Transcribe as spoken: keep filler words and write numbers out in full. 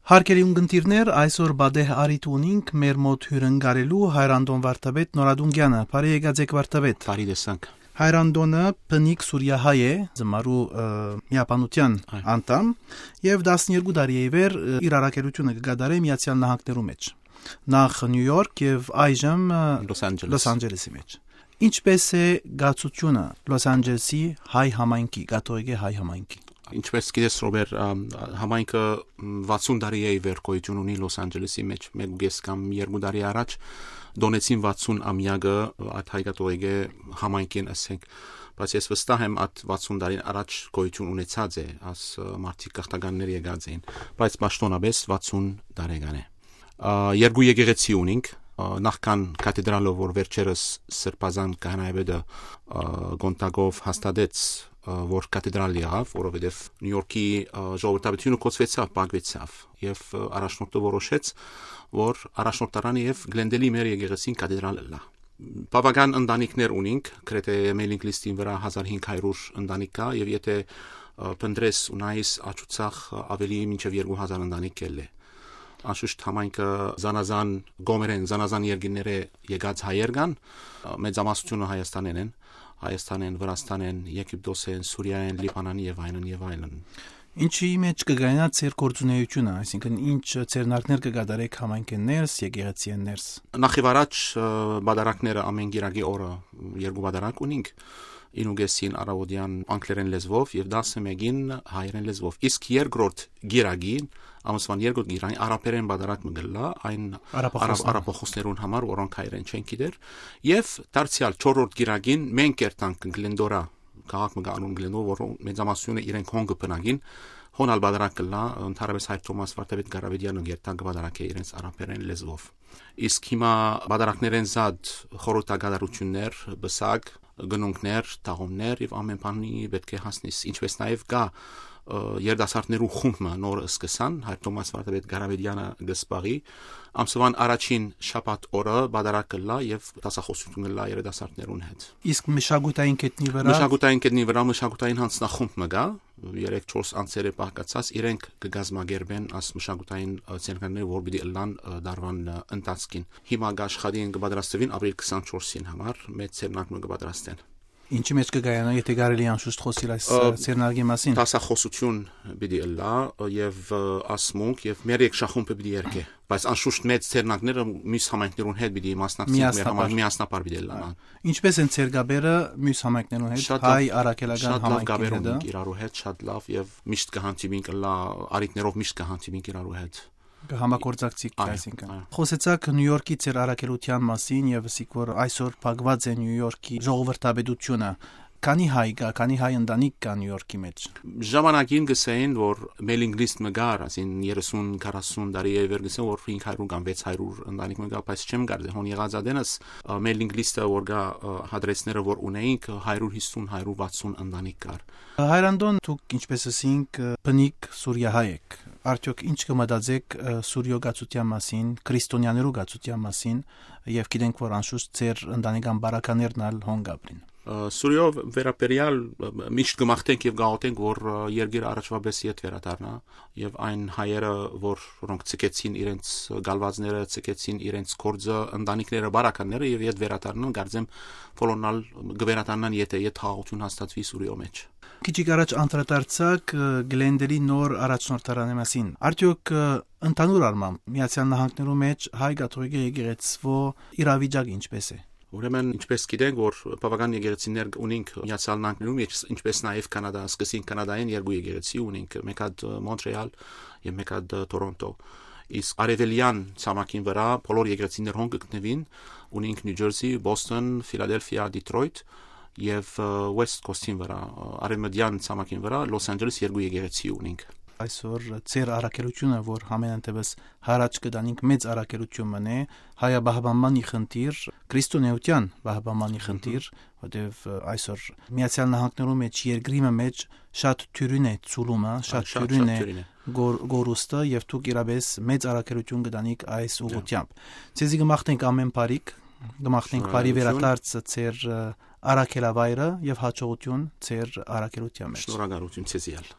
Հարգելի ունգընտիրներ, այսօր պատեհ առիթ ունինք մեր մօտ հիւրընկալելու Հայր Անտոն Վարդապետ Նորատունկեանը։ Բարի եկած եք, Վարդապետ։ Բարի տեսանք։ Հայր Անտոնը բնիկ սուրիահայ է, Զմարու, ը, միաբանութեան Այ։ անդամ, եւ տասներկու տարի է ի վեր, ը, իր առաքելութիւնը կը կատարէ Միացեալ Նահանգներու մէջ։ Նախ Նիու Յորք եւ այժմ, ը, Լոս Անջելես։ Լոս Անջելեսի մէջ։ Ինչպե՞ս է կացութիւնը Լոս Անջելեսի հայ համայնքի, կաթողիկէ հայ համայնքի։ Ինչպես գիտես, Ռոբեր, ամ, համայնքը, մ, վաթսուն տարի է ի վեր գոյութիւն ունի Լոս Անջելեսի մէջ, մէկ ու կես կամ երկու տարի առաջ տօնեցին վաթսուն ամեակը այդ հայ կաթողիկէ համայնքին, ասենք, բայց ես վստահ եմ, այդ վաթսուն տարին առաջ գոյութիւն ունեցած է, աս, ը, մարդիկ գաղթականներ եկած էին, բայց պաշտոնապես վաթսուն տարեկան է։ Ա, երկու եկեղեցի ունինք, ա, նախքան կաթեդրալը, որ վերջերս Սրբազան քահանայապետը, ա, Կոնտակով հաստատեց, ա, որ կաթեդրալ եղաւ, որովհետեւ Նիու Յորքի, ա, ժողովրդավարությունը կոչուեցաւ, փակուեցաւ, եւ, ա, առաջնորդը որոշեց, որ առաջնորդարանը եւ Գլենդելի մեր եկեղեցին կաթեդրալ ըլլայ։ Բաւական ընտանիքներ ունինք, գրեթէ մէյլինգ լիստին վրայ հազար հինգ հարիւր ընտանիք կայ, եւ եթէ, ա, փնտռես ու նայես աջուցախ, ա, աւելի մինչեւ երկու հազար ընտանիք կ'ելլէ։ Անշուշտ համայնքը զանազան կողմերէն, զանազան երկիրներէ եկած հայեր կան, ա, մեծամասնութիւնը Հայաստանէն են, Հայաստանէն, Վրաստանէն, Եգիպտոսէն, Սուրիայէն, Լիբանանի եւ այլն եւ այլն։ Ինչի՞ մէջ կը կայանայ ձեր գործունեութիւնը, այսինքն՝ ինչ ձեռնարկներ կը կատարէք համայնքէն ներս, եկեղեցիէն ներս։ Նախ եւ առաջ, ը, պատարագները ամէն կիրակի օրը երկու պատարագ ունինք, իննուկեսին առաւօտեան անգլերէն լեզուով եւ տասնմէկին հայերէն լեզուով։ Իսկ երկրորդ կիրակին, ամսուան երկրորդ կիրակին, արաբերէն պատարագ մը կ'ըլլայ, այն Արաբախոսներուն։ արաբ-, արաբախոսներուն համար, որոնք հայերէն չեն գիտեր, եւ դարձեալ չորրորդ կիրակին մենք կ'երթանք Գլենդորա, քաղաք մը կը անուն Գլենդոր, որ մեծամասնությունը իրենք հոն կը բնակին, հոն ալ պատարագ կ'ըլլայ, ընդհանրապես Հայր Թովմաս Վարդապետ Կարապետեանը կ'երթայ, կը պատարագէ իրենց արաբերէն լեզուով։ Իսկ հիմա պատարագներէն զատ խորհրդակատարութիւններ, պսակ, գնունքներ, թաղումներ եւ ամէն բանի պէտք է հասնիս, ինչպես նաեւ կայ, ը, երիտասարդներու խումբ մը նոր սկսան, Հայր Թովմաս Վարդապետ Կարապետեանը կը զբաղի, ամսուան առաջին շաբաթ օրը պատարագ կ'ըլլայ եւ դասախօսութիւն կ'ըլլայ երիտասարդներուն հետ։ Իսկ մշակութային գետնի վրայ։ Մշակութային գետնի վրայ մշակութային յանձնախումբ մը կայ, երեք-չորս անձերէ բաղկացած, իրենք կը կազմակերպեն աս մշակութային, ը, ցերկանները, որ պիտի ըլլան, ը, դարուան, ը, ընթացքին։ Հիմա կ'աշխատին, կը պատրաստուին ապրիլ քսանչորսին համար, մեծ ցերնակ մը կը պատրաստեն։ Ինչի՞ մէջ կը կայանայ, եթէ կարելի անշուշտ խօսիլ այս, ը, ը, ցերնարկի մասին։ Դասախօսութիւն պիտի ըլլայ, ը, եւ, ը, ասմունք եւ մեր երգչախումբը պիտի երգէ, բայց անշուշտ մեծ ցերնակները մյուս համայնքներուն հետ պիտի մասնակցին, մեր Միասնապար։ համայ-, միասնապար պիտի ըլլան։ Ինչպե՞ս են ձեր կապերը մյուս համայնքներուն հետ, Շատ լավ, հայ առաքելական շատ լավ համայնքին կապեր հետը։ ունենք իրարու հետ, շատ լավ, եւ միշտ կը հանդիպինք, ըլլայ, առիթներով միշտ կը հանդիպինք իրարու հետ։ Կը համագործակցիք, Այո, այսինքն։ այո։ Խոսեցաք Նիու Յորքի ձեր առաքելութեան մասին եւ ասիք, որ այսօր փակուած է Նիու Յորքի ժողովրդապետութիւնը։ Քանի՞ հայ կայ, քանի՞ հայ ընտանիք կայ Նիու Յորքի մէջ։ Ժամանակին կ'ըսէին, որ մէյլինգ լիսթ մը կար, ասին երեսուն, քառասուն տարի է վեր, կ'ըսեն, որ հինգ հարիւր կամ վեց հարիւր ընտանիք մը կայ, բայց չեմ կարծեր, հոն եղած ատենս, ը, մէյլինգ լիսթը որ կայ, ը, հադրեսները որ ունեինք, հարիւր հիսուն, հարիւր վաթսուն ընտանիք կար։ Հայր Անտոն, դուք, ինչպես ասինք, ը, բնիկ սուրիահայ եք։ Արդեօք ինչ կը մտածէք, ը, Սուրիոյ կացութեան մասին, քրիստոնեաներու կացութեան մասին, եւ գիտենք, որ անշուշտ ձեր ընտանեկան բարականերն ալ հոն կ'ապրին։ Ը, Սուրիոյ վերաբերեալ, ը, միշտ կը մաղթենք եւ կ'աղօթենք, որ, ը, երկիրը առաջվա պես ետ վերադառնայ, եւ այն հայերը, որ, որոնք ցկեցին իրենց գալուածները, ցկեցին իրենց գործը, ընտանիքները, բարականները, եւ ետ վերադառնան, կարծեմ, բոլորն ալ կը վերադառնան, եթէ ետ խաղաղութիւն հաստատուի Սուրիոյ մէջ։ Քիչ առաջ անդրադարձաք, ը, Գլենդելի նոր առաջնորդարանի մասին։ Արդեօք, ը, ընդհանուր առմամբ Միացեալ Նահանգներու մէջ հայ կաթողիկէ եկեղեցւոյ իրավիճակը ինչպէս է։ Ուրեմն, ինչպես գիտենք, որ բաւական եկեղեցիներ ունինք Միացեալ Նահանգներում, ինչպես նաեւ Կանադա, սկսին Կանադայէն երկու եկեղեցի ունինք, մէկ հատ, ը, Մոնտրեալ եւ մէկ հատ, ը, Թորոնտո։ Իսկ արեւելեան ցամաքին վրայ բոլոր եկեղեցիներ հոն կը գտնուին, ունինք Նիու Ջերսի, Բոսթոն, Ֆիլադելֆիա, Դիթրոյթ եւ, ը, West Coast-ին վրայ, ը, արեւմտեան ցամաքին վրայ Լոս Անջելես երկու եկեղեցի ունինք։ Այսօր ձեր առաքելութիւնը, որ համենայն դեպս յառաջ կը տանինք, մեծ առաքելութիւն մըն է, հայապահպանմանի խնդիր, քրիստոնեայութեան պահպանմանի Մհմ։ խնդիր, որտեւ, ը, այսօր Միացեալ Նահանգներու մէջ, երկրի մը մէջ շատ թիւրին է ցուլումը, շատ Այ, շատ, թիւրին շատ է թիւրին է։ գոր-, գորուստը, եւ դուք իրապէս մեծ առաքելութիուն կը տանիք այս Դե։ ուղղությամբ։ Ձեզի կը մաղթենք ամէն բարիք, կը մաղթենք բարի Շնորհակալություն։ վերադարձ ձեր, ը, առաքելավայրը եւ հաջողութիուն ձեր առաքելութեան մէջ։ Շնորհակալություն ձեզի ալ։